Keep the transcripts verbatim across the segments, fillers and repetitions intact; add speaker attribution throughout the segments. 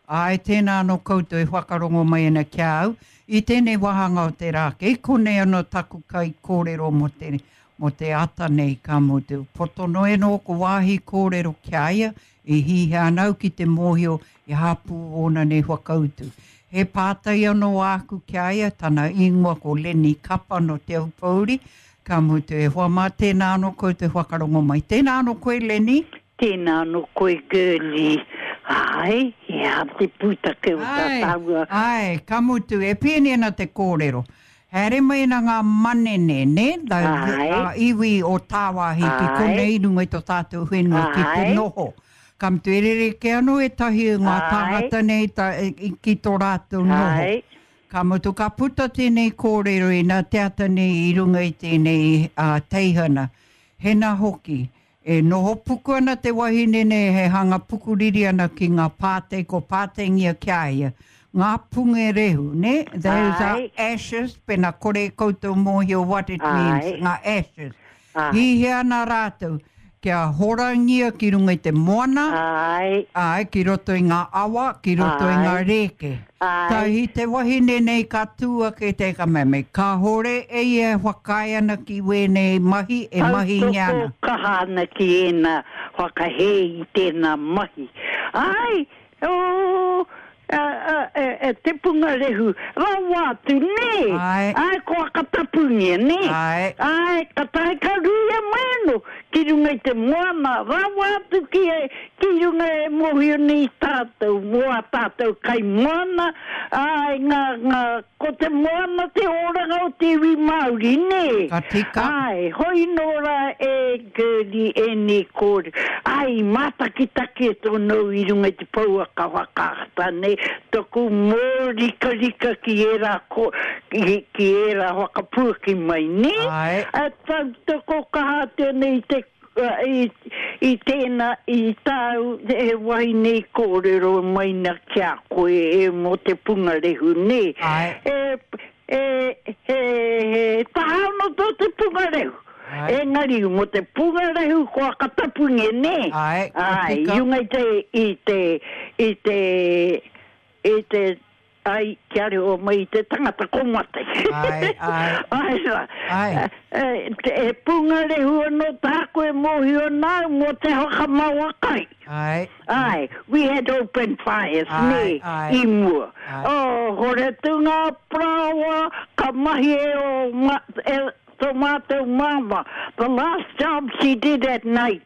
Speaker 1: Āe, tēnā anō koutou e whakarongo mai ana ki a au, i tēnei wāhanga o te rā, kei konei anō taku kaikōrero mō te, mō te ata nei, ka mutu. Poto noa anō ko wāhi kōrero ki a ia, e hihia ana au ki te mōhio i hapū ōna nei whakautu. He pātai anō āku ki a ia, tana ingoa ko Lenny Kapa nō Te Aupōuri, ka mutu, e hoa mā, tēnā anō koutou e whakarongo mai. Tēnā anō koe, Lenny.
Speaker 2: Tēnā anō koe, Girlie. Āe, he aha te pūtake o tā tāua?
Speaker 1: Āe, ka mutu, e pēnei ana te kōrero. Haere mai ana ngā manene, nē, ngā iwi o tāwāhi ki konei i runga i tō tātou whenua ki te noho. Ka mutu, e rerekē anō ētahi o ngā tāngata nei ki tō rātou noho. Ka mutu, ka puta tēnei kōrero inā te ata nei i runga i tēnei teihana. Hena hoki, E noho puku ana te wahine nei he hanga pukuriri ana ki ngā pātei ko pāteingia ki a ia. Ngā pungerehu, nē? Those are ashes, pena kore koutou mōhio what it means, ngā ashes. Hihia ana rātou kia horangia ki runga i te moana, āe, ki roto i ngā awa, ki roto i ngā rēke. Tahi te wahine nei ka tū ake te ka mea mai, kāhore e ia e whakaae ana ki wēnei mahi e mahingia ana.
Speaker 2: Tautoko kaha ana ki ēnā whakahē i tēnā mahi. Āe, oh, e te pungarehu rawa atu, nē?
Speaker 1: Āe.
Speaker 2: Āe, kua whakatapungia, nē?
Speaker 1: Āe.
Speaker 2: Āe, ka tae ka ruia mai anō ki runga i te moana rawa atu ki, ki runga e mōhio nei tātou mō ā tātou kai moana, āe, ngā, ngā, ko te moana te oranga o te iwi Māori, nē?
Speaker 1: Ka tika.
Speaker 2: Āe, hoi nō rā e Gertie ēnei kōrero, āe, i mātakitaki e tō i runga i te pouaka whakaata nei, toku mōrikarika ki ērā ko, ki, ki ērā whakapuaki mai, nē?
Speaker 1: Āe.
Speaker 2: E tautoko kaha atu ana i te, i, i tēnā, i tāu he wahine i kōrero mai na ki a koe e mō te pungarehu, nē?
Speaker 1: Āe.
Speaker 2: E, e, he, he taha anō tō te pungarehu.
Speaker 1: Āe.
Speaker 2: Engari, mō te pungarehu kua katapungia, nē?
Speaker 1: Āe, ka
Speaker 2: Āe,
Speaker 1: tika.
Speaker 2: i runga i te, i te, i te, i te, ai, kia reo mai i te tangata ko mate.
Speaker 1: Āe, āe.
Speaker 2: Āe rā.
Speaker 1: Āe.
Speaker 2: E, te, he pungarehu anō tāku e mōhio ana au mō te whakamawa kai.
Speaker 1: Āe.
Speaker 2: Āe, we had open fires,
Speaker 1: Āe,
Speaker 2: nē,
Speaker 1: āe.
Speaker 2: i mua.
Speaker 1: Āe.
Speaker 2: Oh, hore atu ngā parāoa ka mahi e ō ma, e tō mātou māmā. The last job she did at night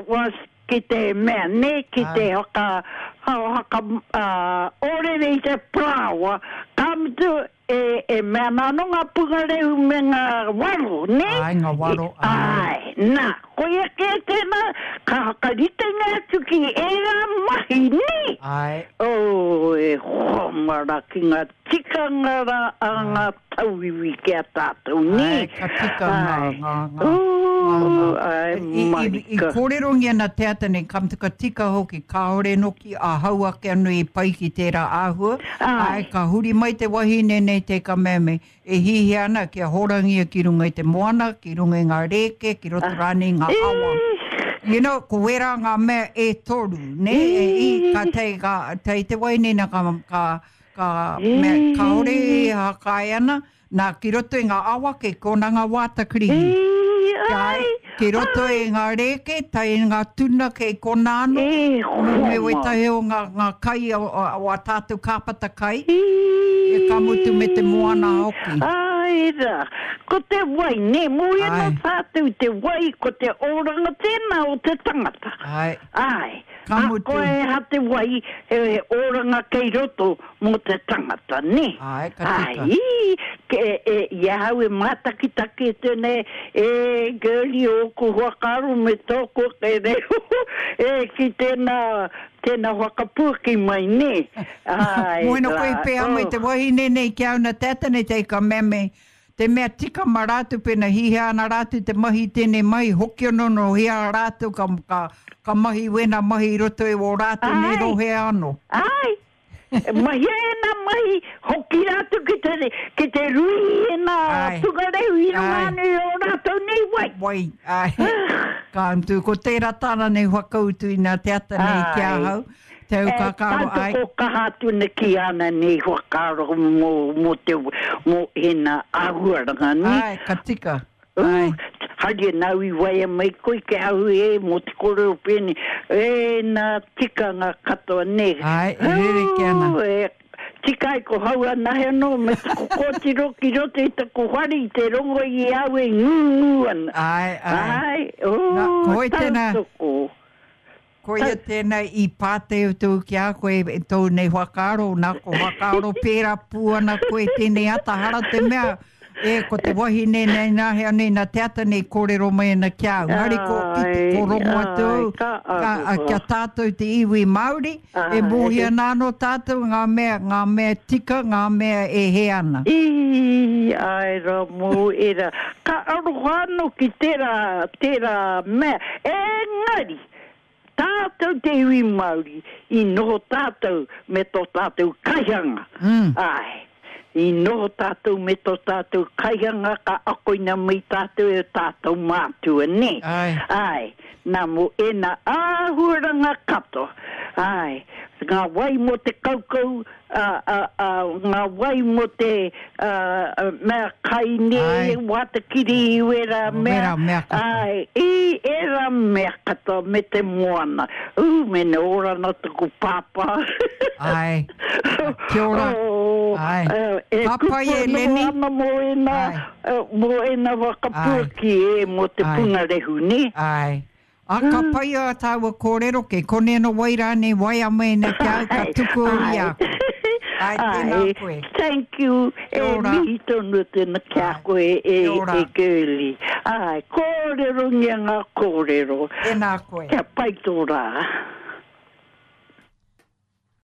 Speaker 2: was ki te mea, nē, ki te whaka, whaka, ōrere i te parāoa, ka mutu, e, e mea ana anō ngā pungarehu me ngā waro, nē?
Speaker 1: Āe, ngā waro, āe.
Speaker 2: Āe, nā, koia kē tēnā, ka whakaritenga atu ki ērā mahi, nē?
Speaker 1: Āe.
Speaker 2: Oh, e hoa mara ki ngā tikanga rā a ngā tauiwi ki a tātou, nē?
Speaker 1: Āe, ka tika ngā,
Speaker 2: Āe.
Speaker 1: ngā, ngā,
Speaker 2: Ooh,
Speaker 1: ngā, ngā.
Speaker 2: āe,
Speaker 1: I, i, i
Speaker 2: marika.
Speaker 1: kōrerongia ana te ata nei, ka mutu ka tika hoki, kāore noki ahau ake anō i pai ki tērā āhua.
Speaker 2: Āe.
Speaker 1: Āe, ka huri mai te wahine nei te ka mea me, e hihia ana kia horangia ki runga i te moana, ki runga i ngā rēke, ki roto rānei i ngā awa. You know, ko wērā ngā mea e toru, nē? E, i, ka tei, ka, tei te wahine na ka, ka, ka mea, kāore e hākai ana, nā, ki roto i ngā awa kei kōna ngā wāta kirihi.
Speaker 2: Ai,
Speaker 1: Ki roto i ngā rēke, tae i ngā tuna kei kōna anō,
Speaker 2: E
Speaker 1: me
Speaker 2: hoa.
Speaker 1: wētahi o ngā, ngā kai o, o, o a tātou kāpata kai, e ka mutu me te moana hoki.
Speaker 2: Ai rā, ko te wai, nē, mōhio
Speaker 1: Ai.
Speaker 2: nō tātou te wai, ko te oranga tēnā o te tangata.
Speaker 1: Ai.
Speaker 2: Ai,
Speaker 1: Ka mutu.
Speaker 2: ahakoa e aha te wai, he, he oranga kei roto mō te tangata, nē?
Speaker 1: Ai, ka tika.
Speaker 2: Ai, ke, e, i ahau e mātakitaki atu nei, e, girlie, ōku whakaaro me tōku ake reo, e, ki tēnā, tēnā whakapuaki mai, nē? Ai,
Speaker 1: Moena koe i
Speaker 2: rā,
Speaker 1: pēhea mai
Speaker 2: oh.
Speaker 1: te wahine nei ki au na te ata nei te ka mea me, te mea tika ma rātou pena hihia ana rātou te mahi tēnei mahi, hoki anō no hea rātou ka, ka, ka mahi wēnā mahi i roto i wō rātou nei
Speaker 2: Ai.
Speaker 1: rohe anō.
Speaker 2: Ai, mahia ēnā mahi, hoki rātou ki te, ki te rui i ēnā
Speaker 1: Ai.
Speaker 2: pungarehu i runga
Speaker 1: Ai.
Speaker 2: anō i ō rātou nei wai.
Speaker 1: Wai, ai. Ka mutu, ko tērā tāna nei whakautu inā te ata nei ki
Speaker 2: Ai.
Speaker 1: ahau. Te au
Speaker 2: E,
Speaker 1: kakaro, ai.
Speaker 2: tautoko kaha atu na ki ana nei whakaaro mō, mō te, mō ena āhuaranga, ne?
Speaker 1: Ai, ka tika.
Speaker 2: Ū,
Speaker 1: Ai.
Speaker 2: Haere nau i waia mai koe ke au e mō te kōrero pēne. E nā tikanga katoa ne.
Speaker 1: Ai, e rereke ana.
Speaker 2: Ū, e, tika ai ko hau anahe anō me taku kōtiro ki roto i taku whare i te rongo i au e ngūngū ana.
Speaker 1: Ai, ai.
Speaker 2: Ai, ū,
Speaker 1: Nā, koe tēnā.
Speaker 2: tautoko.
Speaker 1: Koia tēnā i pāteu tō ki a koe e tō nei whakaaro, nā ko whakaaro pērā pū ana koe tēnei ata hara te mea, e ko te wahine nei nā hea nei nā te ata nei kōrero mai ana ki au. Ngari ko ki te
Speaker 2: Ai,
Speaker 1: korongo atu
Speaker 2: ai,
Speaker 1: au,
Speaker 2: ka
Speaker 1: ka, a,
Speaker 2: aroha.
Speaker 1: kia tātou te iwi Māori, e
Speaker 2: Ai.
Speaker 1: mōhia nā anō tātou ngā mea, ngā mea tika, ngā mea e he ana.
Speaker 2: I, ai rā mō era. Ka aroha anō ki tērā, tērā mea. Engari, tātou te iwi Māori, i noho tātou me tō tātou kaihanga.
Speaker 1: Mm.
Speaker 2: Ai, i noho tātou me tō tātou kaihanga ka akoina mai tātou e tātou mātua, ne?
Speaker 1: Ai.
Speaker 2: Ai, nā mō ena āhuaranga katoa. Ai, ngā wai mō te kaukau, a, a, a, ngā wai mō te a, a, mea kai ne,
Speaker 1: Ai.
Speaker 2: wātakiri, wera mea.
Speaker 1: Wera mea katoa.
Speaker 2: Ai, i era mea katoa me te moana. Ū, me ne orana taku pāpā.
Speaker 1: Ai. Kia ora.
Speaker 2: Oh,
Speaker 1: Ai.
Speaker 2: eh, e
Speaker 1: Ka pai e,
Speaker 2: kupu anō
Speaker 1: Lenny.
Speaker 2: ana mō ena,
Speaker 1: Ai.
Speaker 2: eh, mō ena whakapuaki e mō te
Speaker 1: Ai.
Speaker 2: pungarehu, ne?
Speaker 1: Ai. A ka pai a tāua kōrero ke kone no wai rānei wai a mena ki au ka tuku i a koe. Ai, tēnā
Speaker 2: Ai,
Speaker 1: koe.
Speaker 2: Thank you.
Speaker 1: Kia
Speaker 2: E
Speaker 1: ora.
Speaker 2: mihi tonu tēnā kia
Speaker 1: Ai.
Speaker 2: koe e,
Speaker 1: Kia ora.
Speaker 2: e girlie. Ai, kōrero ngia ngā kōrero.
Speaker 1: Tēnā koe.
Speaker 2: Kia pai tō rā.